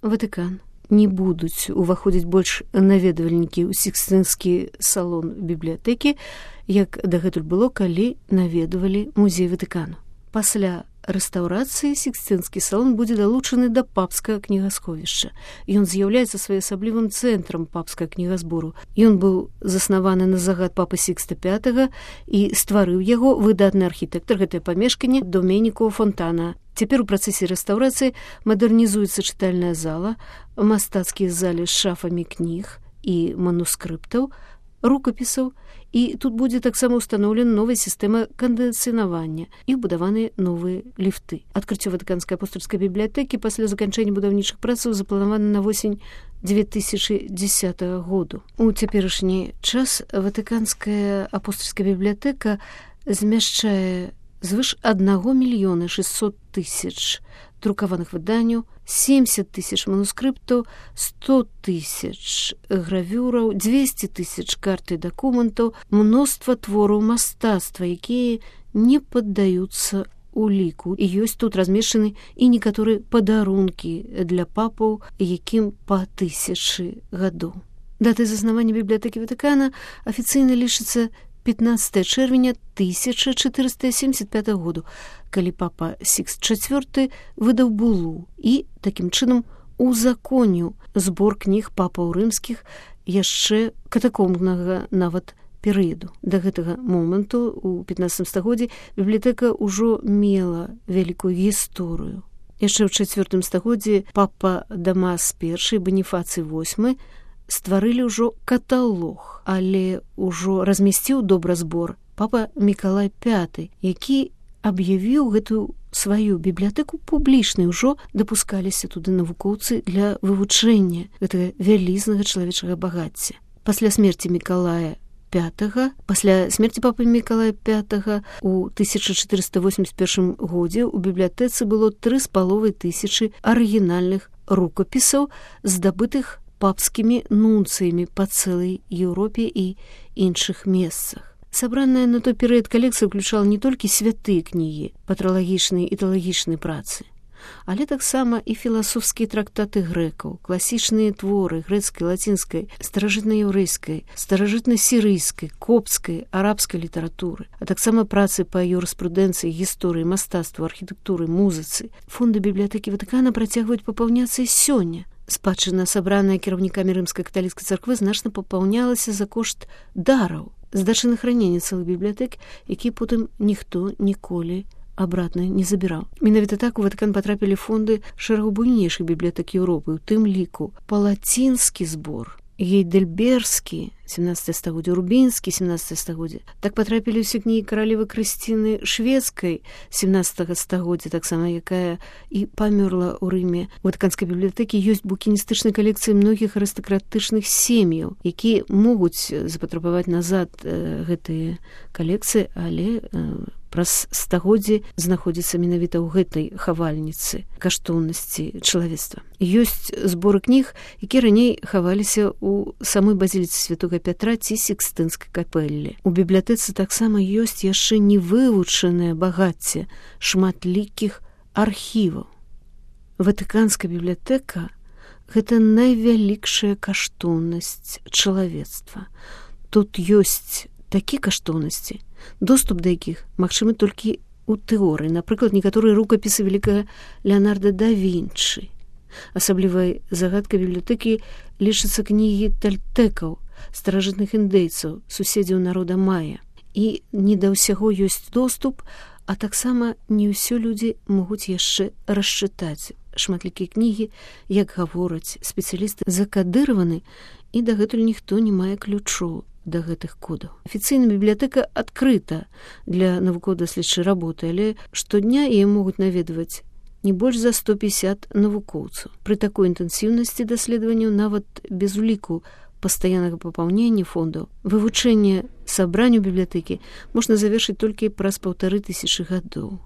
Ватыкан. Не будуць уваходзіць больш наведвальнікі ў Сікстынскі салон бібліятэкі, як дагэтуль было, калі наведвалі музей Ватыкану. Пасля рэстаўрацыі Сікстынскі салон будзе далучаны да папскага кнігасховішча. Ён з'яўляецца своеасаблівым цэнтрам папскага кнігазбору. Ён быў заснаваны на загад папы Сікста V і стварыў яго выдатны архітэктар гэтае памешканне Доменико Фонтана. Цяпер у працэсе рэстаўрацыі мадэрнізуецца чытальная зала, мастацкія залі з шафамі кніг і манускрыптаў, рукапісаў, і тут будзе таксама ўстаноўлена новая сістэма кандыцыянавання і ўбудаваныя новыя ліфты. Адкрыццё Ватыканскай апостальскай бібліятэкі пасля заканчэння будаўнічых працаў запланавана на восень 2010 году. У цяперашні час Ватыканская апостальская бібліятэка змяшчае звыш 1 600 000 друкаваных выданняў, 70 000 манускрыптаў, 100 000 гравюраў, 200 000 карт і дакументаў, мноства твораў мастацтва, якія не паддаюцца уліку. І ёсць тут размешчаны і некаторыя падарункі для папаў, якім па 1000 гадоў. Датай заснавання бібліятэкі Ватыкана афіцыйна лічыцца 15 чэрвеня 1475 году, калі папа Сікст IV выдаў булу і, такім чынам, узаконіў збор кніг папаў рымскіх яшчэ катакомбнага нават перыяду. Да гэтага моманту, у 15 стагоддзі, бібліятэка ўжо мела вялікую гісторыю. Яшчэ ў 4 стагоддзі папа Дамас I, Баніфацый VIII стварылі ўжо каталог, але ўжо размясціў добразбор папа Мікалай V, які аб'явіў гэтую сваю бібліятэку публічнай. Ужо дапускаліся туды навукоўцы для вывучэння гэтага вялізнага чалавечага багацця. Пасля смерці Мікалая V, пасля смерці папы Мікалая V у 1481 годзе ў бібліятэцы было 3500 арыгінальных рукапісаў, здабытых папскімі нунцыямі па цэлай Еўропе і іншых месцах. Сабраная на той перыяд калекцыя ўключала не толькі святыя кнігі, патралагічныя і тэалагічныя працы, але таксама і філасофскія трактаты грэкаў, класічныя творы грэцкай, лацінскай, старажытна-яўрэйскай, старажытна-сірыйскай, коптскай, арабскай літаратуры, а таксама працы па юрыспрудэнцыі, гісторыі, мастацтву, архітэктуры, музыцы. Фонды бібліятэкі Ватыкана працягваюць папаўняцца і сёння. Спадчына, сабраная кіраўнікамі рымскай каталіцкай царквы, значна папаўнялася за кошт дараў, здачы на храненне цэлых бібліятэк, які потым ніхто ніколі абратна не забіраў. Менавіта так у Ватыкан патрапілі фонды шэрагу буйнейшых бібліятэк Еўропы, у тым ліку палацінскі збор, гейдельбергскі, 17 стагоддзе, урбінскі, 17 стагоддзе. Так патрапілі ўсе кнігі каралевы Крысціны шведскай, 17 стагоддзя, таксама якая і памёрла ў Рыме. У Ватыканскай бібліятэкі ёсць букіністычнай калекцыі многіх арыстакратычных сем'яў, якія могуць запатрабаваць назад гэтыя калекцыі, але праз стагоддзі знаходзіцца менавіта ў гэтай хавальніцы каштоўнасці чалавецтва. Ёсць зборы кніг, якія раней хаваліся ў самой базіліцы святога Пятра ці Сікстынскай капэллі. У бібліятэцы таксама ёсць яшчэ невывучанае багацце шматлікіх архіваў. Ватыканская бібліятэка – гэта найвялікшая каштоўнасць чалавецтва. Тут ёсць такія каштоўнасці, доступ да якіх магчымы толькі ў тэорыі. Напрыклад, некаторыя рукапісы вялікага Леанарда да Вінчы. Асаблівай загадкай бібліятэкі лічацца кнігі тальтэкаў, старажытных індейцаў, суседзяў народа Мая. І не да ўсяго ёсць доступ, а таксама не ўсё людзі могуць яшчэ расчытаць. Шматлікія кнігі, як гавораць спецыялісты, закадыраваны, і дагэтуль ніхто не мае ключоў да гэтых кодаў. Афіцыйна бібліятэка адкрыта для навукова-даследчай работы, але штодня яе могуць наведваць не больш за 150 навукоўцаў. Пры такой інтэнсіўнасці даследаванняў, нават без уліку пастаяннага папаўнення фондаў, вывучэнне сабранняў бібліятэкі можна завершыць толькі праз 1500 гадоў.